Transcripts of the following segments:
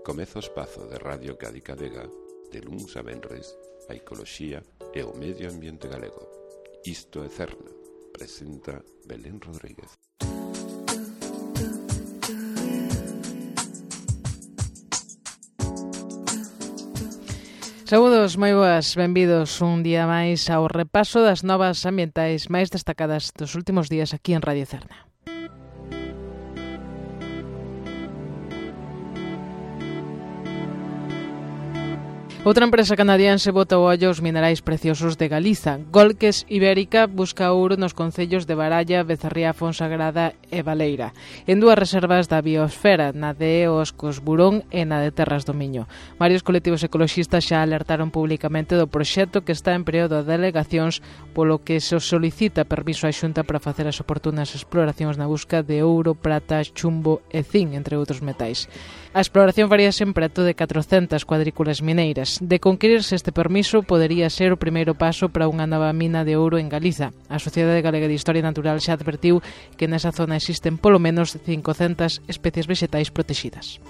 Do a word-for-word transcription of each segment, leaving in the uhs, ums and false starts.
Comeza o espazo de Radio Cádiz Vega de luns a venres a ecoloxía e o medio ambiente galego. Isto é Cerna, presenta Belén Rodríguez. Saúdos, moi boas, benvidos un día máis ao repaso das novas ambientais máis destacadas dos últimos días aquí en Radio Cerna. Outra empresa canadiense bota o ollo aos minerais preciosos de Galiza. Golques Ibérica busca ouro nos concellos de Baralla, Becerría, Fonsagrada e Baleira, en dúas reservas da biosfera, na de Oscos Burón e na de Terras do Miño. Varios colectivos ecoloxistas xa alertaron públicamente do proxecto que está en período de alegacións, polo que se solicita permiso á Xunta para facer as oportunas exploracións na busca de ouro, prata, chumbo e zinc, entre outros metais. A exploración faríase en preto de catrocentas cuadrículas mineiras. De conquirirse este permiso, podería ser o primeiro paso para unha nova mina de ouro en Galiza. A Sociedade Galega de Historia Natural xa advertiu que nesa zona existen polo menos cincocentas especies vexetais protegidas.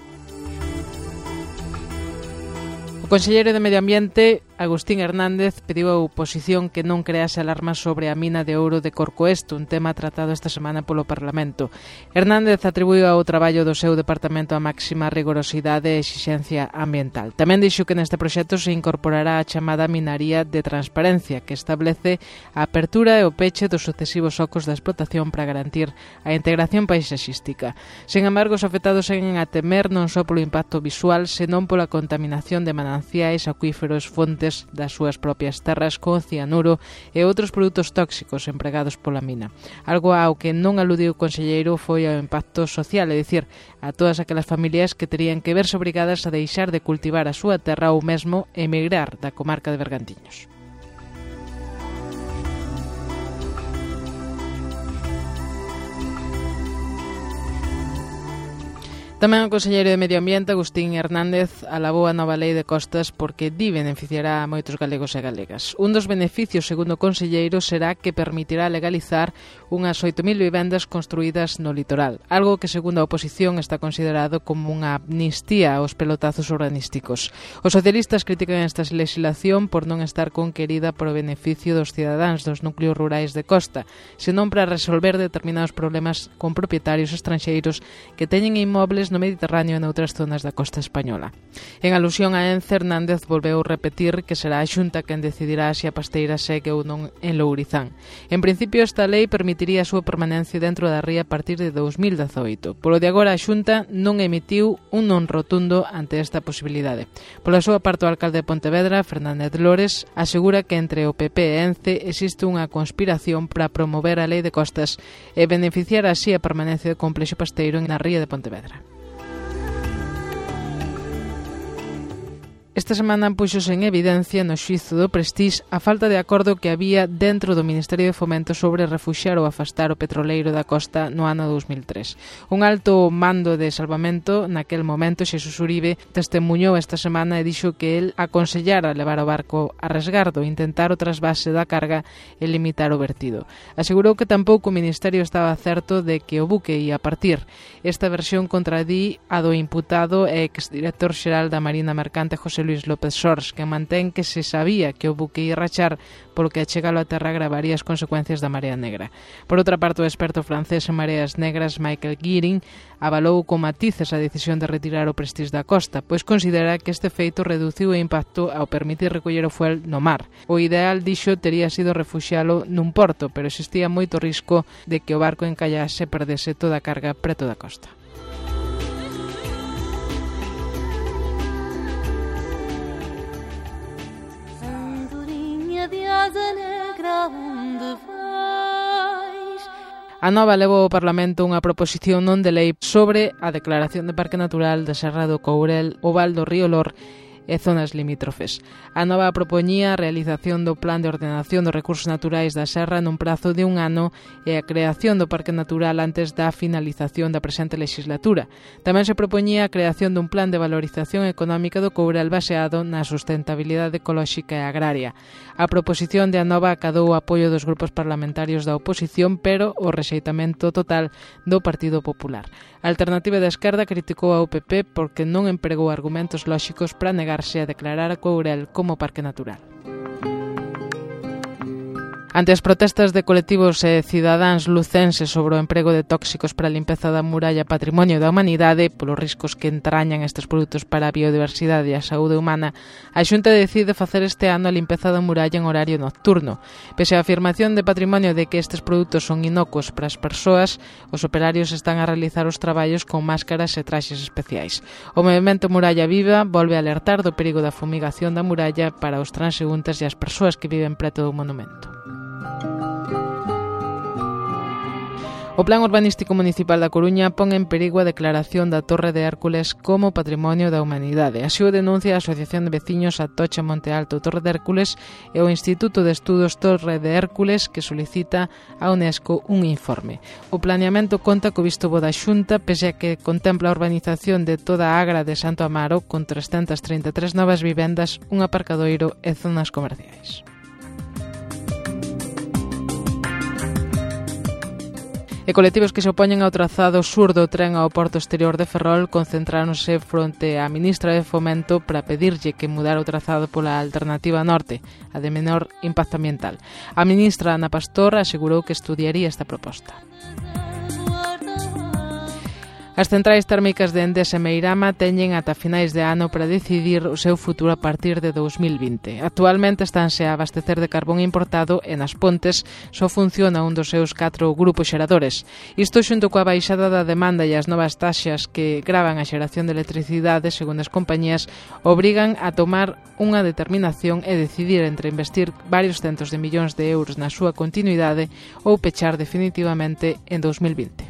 O conselleiro de Medio Ambiente, Agustín Hernández, pediu a oposición que non crease alarmas sobre a mina de ouro de Corcoesto, un tema tratado esta semana polo Parlamento. Hernández atribuiu ao traballo do seu departamento a máxima rigorosidade e exixencia ambiental. Tamén dixo que neste proxecto se incorporará a chamada minaría de transparencia, que establece a apertura e o peche dos sucesivos ocos da explotación para garantir a integración paisaxística. Sen embargo, os afectados seguen a temer non só polo impacto visual, senón pola contaminación de mananciais, acuíferos, fontes das súas propias terras con cianuro e outros produtos tóxicos empregados pola mina. Algo ao que non aludiu o conselleiro foi ao impacto social, é dicir, a todas aquelas familias que terían que verse obrigadas a deixar de cultivar a súa terra ou mesmo emigrar da comarca de Bergantiños. Tamén o conselleiro de Medio Ambiente, Agustín Hernández, alabou a nova lei de costas porque di beneficiará a moitos galegos e galegas. Un dos beneficios, segundo o conselleiro, será que permitirá legalizar unhas oito mil vivendas construídas no litoral, algo que, segundo a oposición, está considerado como unha amnistía aos pelotazos urbanísticos. Os socialistas critican esta legislación por non estar conquerida por o beneficio dos cidadáns dos núcleos rurais de costa, senón para resolver determinados problemas con propietarios estranxeiros que teñen inmobles no Mediterráneo e noutras zonas da costa española. En alusión a Ence, Hernández volveu repetir que será a Xunta quen decidirá se a pasteira segue ou non en Lourizán. En principio, esta lei permitiría a súa permanencia dentro da ría a partir de dous mil dezoito. Polo de agora, a Xunta non emitiu un non rotundo ante esta posibilidade. Pola súa parte, o alcalde de Pontevedra, Fernández Lores, asegura que entre o P P e Ence existe unha conspiración para promover a lei de costas e beneficiar así a permanencia do complexo pasteiro na ría de Pontevedra. Esta semana puxose en evidencia no xuízo do Prestige a falta de acordo que había dentro do Ministerio de Fomento sobre refuxiar ou afastar o petroleiro da costa no ano dous mil tres. Un alto mando de salvamento naquel momento, Xesús Uribe, testemuñou esta semana e dixo que el aconsellara levar o barco a resgardo, intentar o trasvase da carga e limitar o vertido. Asegurou que tampouco o Ministerio estaba certo de que o buque ia partir. Esta versión contradí a do imputado e exdirector xeral da Marina Mercante, José Luis López Sors, que mantén que se sabía que o buque ia rachar polo que a chegalo a terra agravaría as consecuencias da marea negra. Por outra parte, o experto francés en mareas negras, Michael Gearing, avalou con matices a decisión de retirar o Prestige da costa, pois considera que este feito reduciu o impacto ao permitir recoller o fuel no mar. O ideal, dixo, tería sido refuxialo nun porto, pero existía moito risco de que o barco encallase e perdese toda a carga preto da costa. A Nova levou ao Parlamento unha proposición non de lei sobre a declaración de Parque Natural da Serra do Courel, o Val do Río Lor e zonas limítrofes. A nova propoñía a realización do Plan de Ordenación dos Recursos Naturais da Serra nun prazo de un ano e a creación do Parque Natural antes da finalización da presente legislatura. Tamén se propoñía a creación dun plan de valorización económica do Courel baseado na sustentabilidade ecolóxica e agraria. A proposición de Anova acadou o apoio dos grupos parlamentarios da oposición, pero o rexeitamento total do Partido Popular. A Alternativa da Esquerda criticou a U P P porque non empregou argumentos lóxicos para negarse a declarar a Courel como parque natural. Ante as protestas de colectivos e cidadáns lucenses sobre o emprego de tóxicos para a limpeza da muralla Patrimonio da Humanidade, polos riscos que entrañan estes produtos para a biodiversidade e a saúde humana, a Xunta decide facer este ano a limpeza da muralla en horario nocturno. Pese á afirmación de Patrimonio de que estes produtos son inocuos para as persoas, os operarios están a realizar os traballos con máscaras e traxes especiais. O movemento Muralla Viva volve a alertar do perigo da fumigación da muralla para os transeúntes e as persoas que viven preto do monumento. O Plan Urbanístico Municipal da Coruña pon en perigo a declaración da Torre de Hércules como Patrimonio da Humanidade. Así o denuncia a Asociación de Veciños Atocha Monte Alto Torre de Hércules e o Instituto de Estudos Torre de Hércules, que solicita a UNESCO un informe. O planeamento conta co visto bo da Xunta, pese a que contempla a urbanización de toda a Agra de Santo Amaro con trescentas trinta e tres novas vivendas, un aparcadoiro e zonas comerciais. E colectivos que se opoñen ao trazado sur do tren ao porto exterior de Ferrol concentráronse fronte á ministra de Fomento para pedirlle que mudara o trazado pola alternativa norte, a de menor impacto ambiental. A ministra Ana Pastor asegurou que estudiaría esta proposta. As centrais térmicas de Endesa e Meirama teñen ata finais de ano para decidir o seu futuro a partir de dous mil vinte. Actualmente estánse a abastecer de carbón importado e nas Pontes só funciona un dos seus catro grupos xeradores. Isto xunto coa baixada da demanda e as novas taxas que gravan a xeración de electricidade, segundo as compañías, obrigan a tomar unha determinación e decidir entre investir varios centos de millóns de euros na súa continuidade ou pechar definitivamente en dous mil vinte.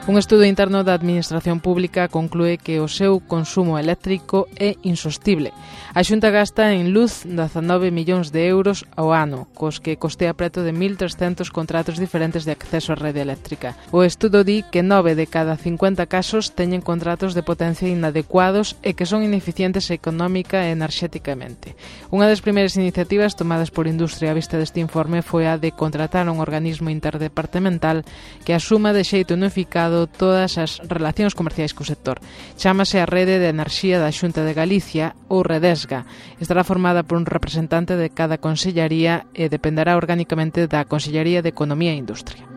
Un estudo interno da Administración Pública conclúe que o seu consumo eléctrico é insostible. A Xunta gasta en luz dezanove millóns de euros ao ano, cos que costea preto de mil trescentos contratos diferentes de acceso á rede eléctrica. O estudo di que nove de cada cincuenta casos teñen contratos de potencia inadecuados e que son ineficientes económica e enerxéticamente. Unha das primeiras iniciativas tomadas por Industria a vista deste informe foi a de contratar un organismo interdepartamental que asuma de xeito unificado todas as relacións comerciais co sector. Chámase a Rede de Enerxía da Xunta de Galicia, ou Redesga. Estará formada por un representante de cada consellería e dependerá orgánicamente da Consellería de Economía e Industria.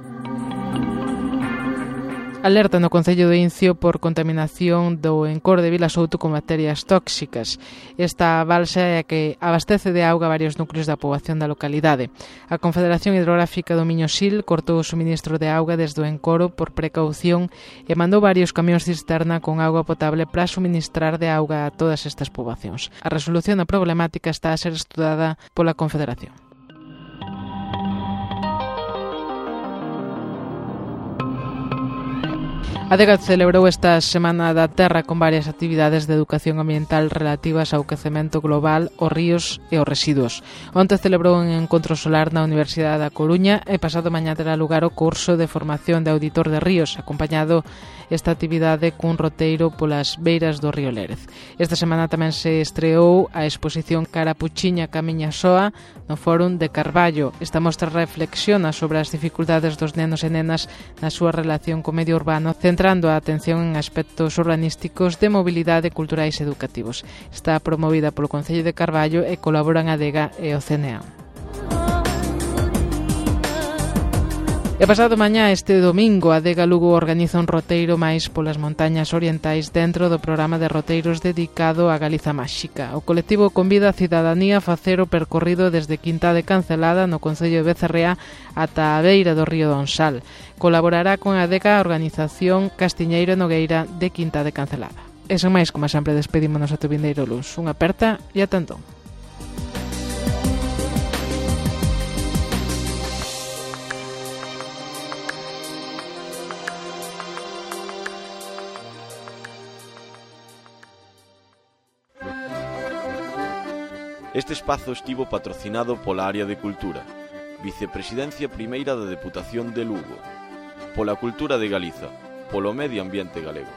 Alerta no Concello de Incio por contaminación do encor de Vilasouto con bacterias tóxicas. Esta balsa é a que abastece de auga varios núcleos da poboación da localidade. A Confederación Hidrográfica do Miño-Sil cortou o suministro de auga desde o encoro por precaución e mandou varios camións cisterna con auga potable para suministrar de auga a todas estas poboacións. A resolución da problemática está a ser estudada pola Confederación. A Adega celebrou esta Semana da Terra con varias actividades de educación ambiental relativas ao quecemento global, aos ríos e aos residuos. Onte celebrou un encontro solar na Universidade da Coruña e pasado mañá terá lugar o curso de formación de auditor de ríos, acompañado esta actividade cun roteiro polas beiras do río Lérez. Esta semana tamén se estreou a exposición Carapuchiña Camiña Soa no Fórum de Carballo. Esta mostra reflexiona sobre as dificultades dos nenos e nenas na súa relación co medio urbano, centrando a atención en aspectos urbanísticos de mobilidade, culturais e educativos. Está promovida polo Concello de Carballo e colaboran a Adega e o C N A. E pasado mañá, este domingo, a Adega Lugo organiza un roteiro máis polas montañas orientais dentro do programa de roteiros dedicado á Galiza Máxica. O colectivo convida a cidadanía a facer o percorrido desde Quinta de Cancelada, no concello de Becerrea, ata a beira do río Donsal. Colaborará con a Adega a organización Castiñeiro Nogueira de Quinta de Cancelada. E sen máis, como sempre, despedímonos ata o vindeiro luns. Unha aperta e ata entón. Este espazo estivo patrocinado pola Área de Cultura, Vicepresidencia Primeira da Deputación de Lugo, pola Cultura de Galiza, polo Medio Ambiente Galego.